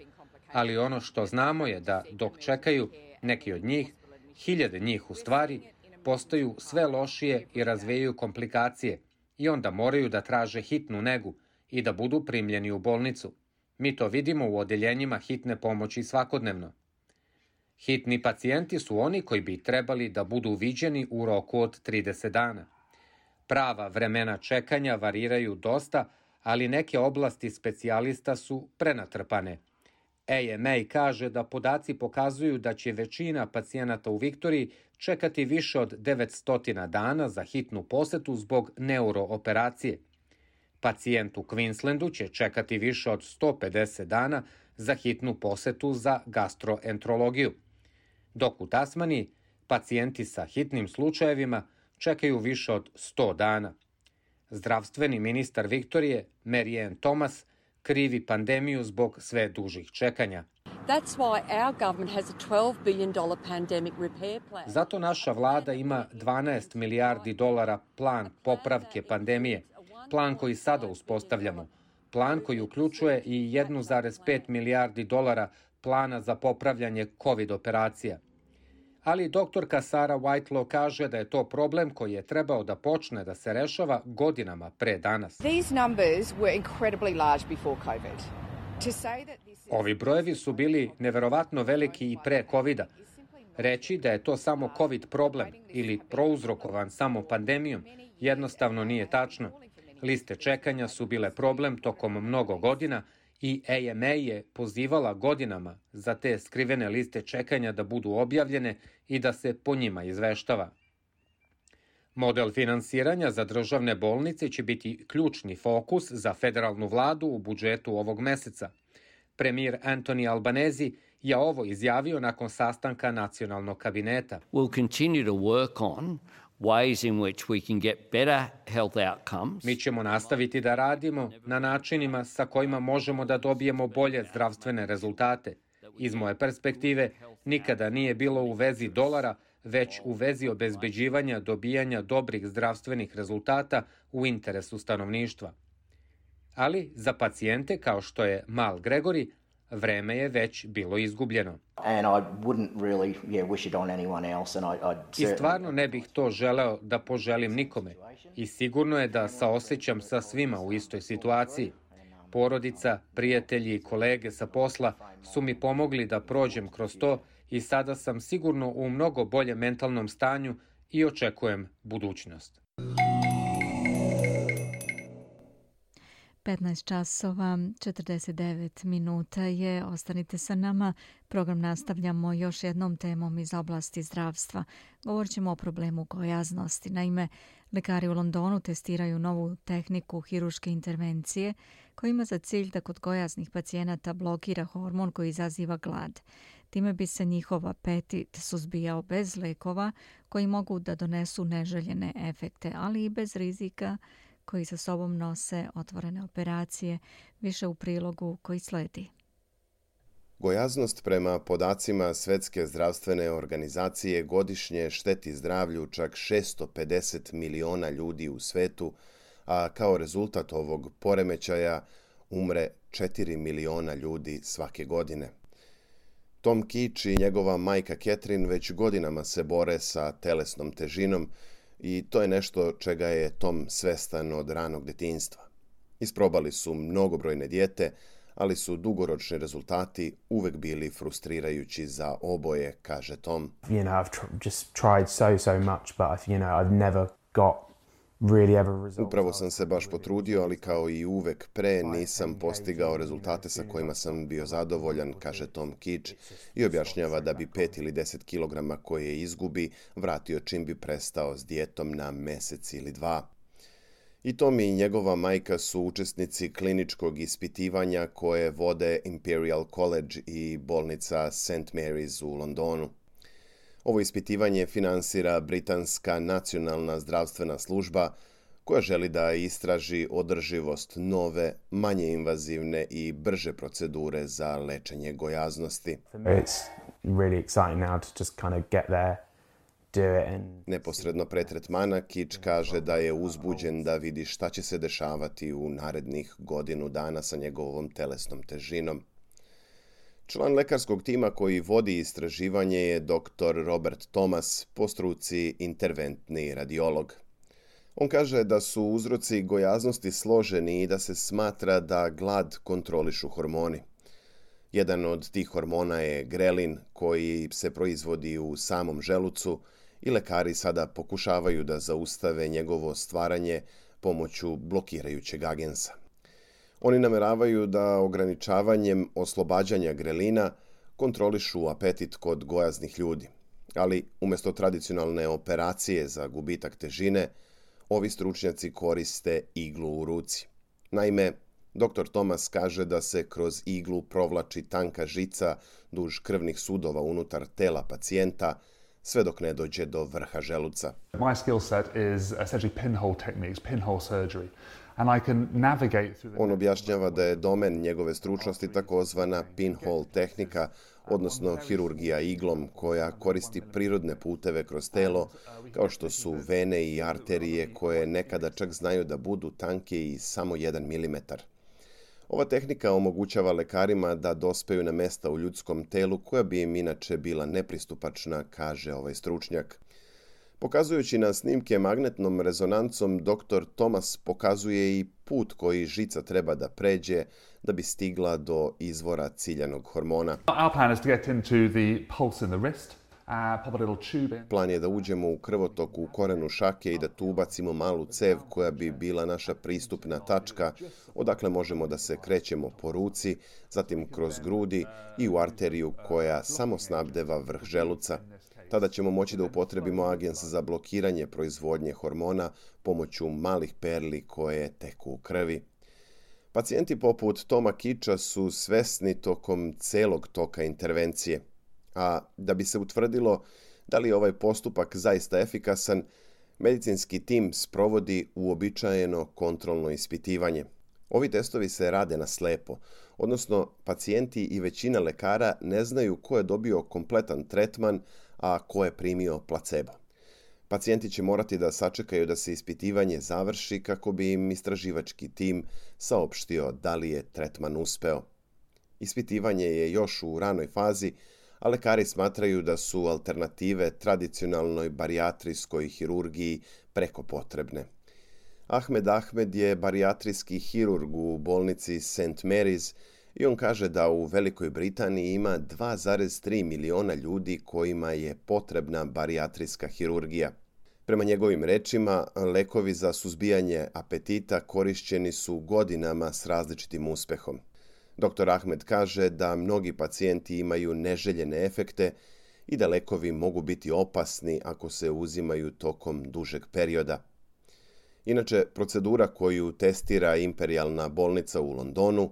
ali ono što znamo je da dok čekaju, neki od njih, hiljade njih u stvari, postaju sve lošije i razvijaju komplikacije i onda moraju da traže hitnu negu i da budu primljeni u bolnicu. Mi to vidimo u odeljenjima hitne pomoći svakodnevno. Hitni pacijenti su oni koji bi trebali da budu viđeni u roku od 30 dana. Prava vremena čekanja variraju dosta, ali neke oblasti specijalista su prenatrpane. AMA kaže da podaci pokazuju da će većina pacijenata u Viktoriji čekati više od 900 dana za hitnu posetu zbog neurooperacije. Pacijent u Queenslandu će čekati više od 150 dana za hitnu posetu za gastroenterologiju. Dok u Tasmaniji pacijenti sa hitnim slučajevima čekaju više od 100 dana. Zdravstveni ministar Viktorije, Mary Ann Thomas, krivi pandemiju zbog sve dužih čekanja. Zato naša vlada ima $12 milijardi plan popravke pandemije, plan koji sada uspostavljamo, plan koji uključuje i $1,5 milijardi plana za popravljanje COVID operacija. Ali doktorka Sarah Whitelaw kaže da je to problem koji je trebao da počne da se rešava godinama pre danas. Ovi brojevi su bili neverovatno veliki i pre COVID-a. Reći da je to samo COVID problem ili prouzrokovan samo pandemijom jednostavno nije tačno. Liste čekanja su bile problem tokom mnogo godina i AMA je pozivala godinama za te skrivene liste čekanja da budu objavljene i da se po njima izveštava. Model finansiranja za državne bolnice će biti ključni fokus za federalnu vladu u budžetu ovog meseca. Premijer Anthony Albanese je ovo izjavio nakon sastanka nacionalnog kabineta. We'll continue to work on ways in which we can get better health outcomes. Mi ćemo nastaviti da radimo na načinima sa kojima možemo da dobijemo bolje zdravstvene rezultate. Iz moje perspektive, nikada nije bilo u vezi dolara, već u vezi obezbeđivanja dobijanja dobrih zdravstvenih rezultata u interesu stanovništva. Ali za pacijente, kao što je Mal Gregory, vreme je već bilo izgubljeno. I stvarno ne bih to želeo da poželim nikome. I sigurno je da saosećam sa svima u istoj situaciji. Porodica, prijatelji i kolege sa posla su mi pomogli da prođem kroz to i sada sam sigurno u mnogo boljem mentalnom stanju i očekujem budućnost. 15 časova, 49 minuta je. Ostanite sa nama. Program nastavljamo još jednom temom iz oblasti zdravstva. Govorit ćemo o problemu gojaznosti. Naime, lekari u Londonu testiraju novu tehniku hiruške intervencije koja ima za cilj da kod gojaznih pacijenata blokira hormon koji izaziva glad. Time bi se njihov apetit suzbijao bez lekova koji mogu da donesu neželjene efekte, ali i bez rizika koji sa sobom nose otvorene operacije, više u prilogu koji sledi. Gojaznost prema podacima Svetske zdravstvene organizacije godišnje šteti zdravlju čak 650 miliona ljudi u svetu, a kao rezultat ovog poremećaja umre 4 miliona ljudi svake godine. Tom Keach i njegova majka Catherine već godinama se bore sa telesnom težinom i to je nešto čega je Tom svestan od ranog detinjstva. Isprobali su mnogobrojne dijete, ali su dugoročni rezultati uvek bili frustrirajući za oboje, kaže Tom. Upravo sam se baš potrudio, ali kao i uvek pre nisam postigao rezultate sa kojima sam bio zadovoljan, kaže Tom Keach i objašnjava da bi 5 ili 10 kilograma koje izgubi vratio čim bi prestao s dijetom na mesec ili 2. I Tom i njegova majka su učesnici kliničkog ispitivanja koje vode Imperial College i bolnica St. Mary's u Londonu. Ovo ispitivanje finansira Britanska nacionalna zdravstvena služba koja želi da istraži održivost nove, manje invazivne i brže procedure za lečenje gojaznosti. Neposredno pre tretmana Keach kaže da je uzbuđen da vidi šta će se dešavati u narednih godinu dana sa njegovom telesnom težinom. Član lekarskog tima koji vodi istraživanje je dr. Robert Thomas, po struci interventni radiolog. On kaže da su uzroci gojaznosti složeni i da se smatra da glad kontrolišu hormoni. Jedan od tih hormona je grelin koji se proizvodi u samom želucu i lekari sada pokušavaju da zaustave njegovo stvaranje pomoću blokirajućeg agensa. Oni nameravaju da ograničavanjem oslobađanja grelina kontrolišu apetit kod gojaznih ljudi. Ali umjesto tradicionalne operacije za gubitak težine, ovi stručnjaci koriste iglu u ruci. Naime, dr. Thomas kaže da se kroz iglu provlači tanka žica duž krvnih sudova unutar tela pacijenta, sve dok ne dođe do vrha želuca. My skill set is essentially pinhole techniques, pinhole surgery. On objašnjava da je domen njegove stručnosti takozvana pinhole tehnika, odnosno hirurgija iglom, koja koristi prirodne puteve kroz telo, kao što su vene i arterije koje nekada čak znaju da budu tanke i samo 1 milimetar. Ova tehnika omogućava lekarima da dospeju na mesta u ljudskom telu koja bi im inače bila nepristupačna, kaže ovaj stručnjak. Pokazujući na snimke magnetnom rezonancom, dr. Thomas pokazuje i put koji žica treba da pređe da bi stigla do izvora ciljanog hormona. Our plan is to get into the pulse in the wrist Plan je da uđemo u krvotok u korenu šake i da tu ubacimo malu cev koja bi bila naša pristupna tačka, odakle možemo da se krećemo po ruci, zatim kroz grudi i u arteriju koja samo snabdeva vrh želuca. Tada ćemo moći da upotrebimo agens za blokiranje proizvodnje hormona pomoću malih perli koje teku u krvi. Pacijenti poput Toma Kiča su svesni tokom celog toka intervencije, a da bi se utvrdilo da li je ovaj postupak zaista efikasan, medicinski tim sprovodi uobičajeno kontrolno ispitivanje. Ovi testovi se rade na slepo, odnosno pacijenti i većina lekara ne znaju ko je dobio kompletan tretman, a ko je primio placebo. Pacijenti će morati da sačekaju da se ispitivanje završi kako bi im istraživački tim saopštio da li je tretman uspeo. Ispitivanje je još u ranoj fazi, a lekari smatraju da su alternative tradicionalnoj barijatrijskoj hirurgiji preko potrebne. Ahmed je barijatrijski hirurg u bolnici St. Mary's i on kaže da u Velikoj Britaniji ima 2,3 miliona ljudi kojima je potrebna barijatrijska hirurgija. Prema njegovim rečima, lekovi za suzbijanje apetita korišćeni su godinama s različitim uspehom. Dr. Ahmed kaže da mnogi pacijenti imaju neželjene efekte i da lekovi mogu biti opasni ako se uzimaju tokom dužeg perioda. Inače, procedura koju testira Imperijalna bolnica u Londonu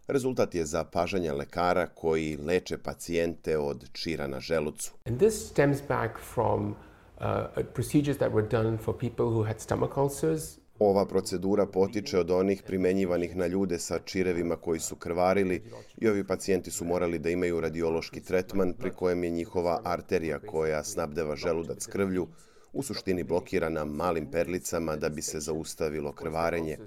rezultat je zapažanja lekara koji leče pacijente od čira na želucu. And this stems back from procedures that were done for people who had stomach ulcers. Ova procedura potiče od onih primenjivanih na ljude sa čirevima koji su krvarili i ovi pacijenti su morali da imaju radiološki tretman pri kojem je njihova arterija koja snabdeva želudac krvlju u suštini blokirana malim perlicama da bi se zaustavilo krvarenje.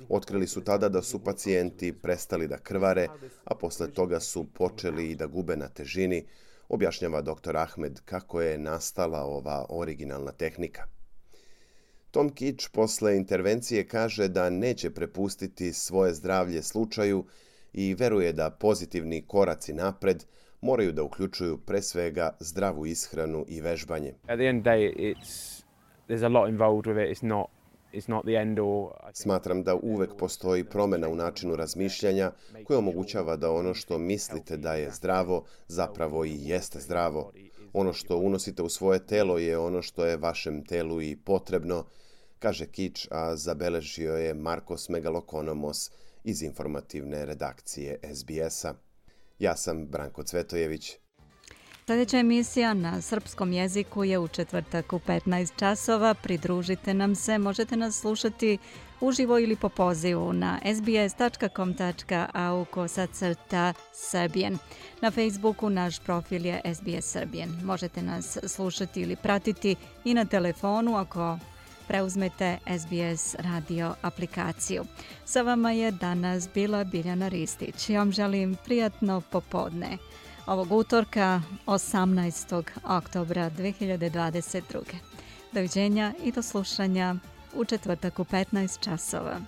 Otkrili su tada da su pacijenti prestali da krvare, a posle toga su počeli i da gube na težini, objašnjava dr. Ahmed kako je nastala ova originalna tehnika. Tom Kič posle intervencije kaže da neće prepustiti svoje zdravlje slučaju i veruje da pozitivni koraci napred moraju da uključuju pre svega zdravu ishranu i vežbanje. Smatram da uvek postoji promena u načinu razmišljanja koja omogućava da ono što mislite da je zdravo zapravo i jeste zdravo. Ono što unosite u svoje telo je ono što je vašem telu i potrebno, kaže Kič, a zabeležio je Markos Megalokonomos iz informativne redakcije SBS-a. Ja sam Branko Cvetojević. Sljedeća emisija na srpskom jeziku je u četvrtak u 15 časova. Pridružite nam se, možete nas slušati uživo ili po pozivu na sbs.com.au/Serbian. Na Facebooku naš profil je SBS Serbian. Možete nas slušati ili pratiti i na telefonu ako preuzmete SBS radio aplikaciju. Sa vama je danas bila Biljana Ristić. Ja vam želim prijatno popodne ovog utorka 18. oktobra 2022. Doviđenja i do slušanja u četvrtak u 15 časova.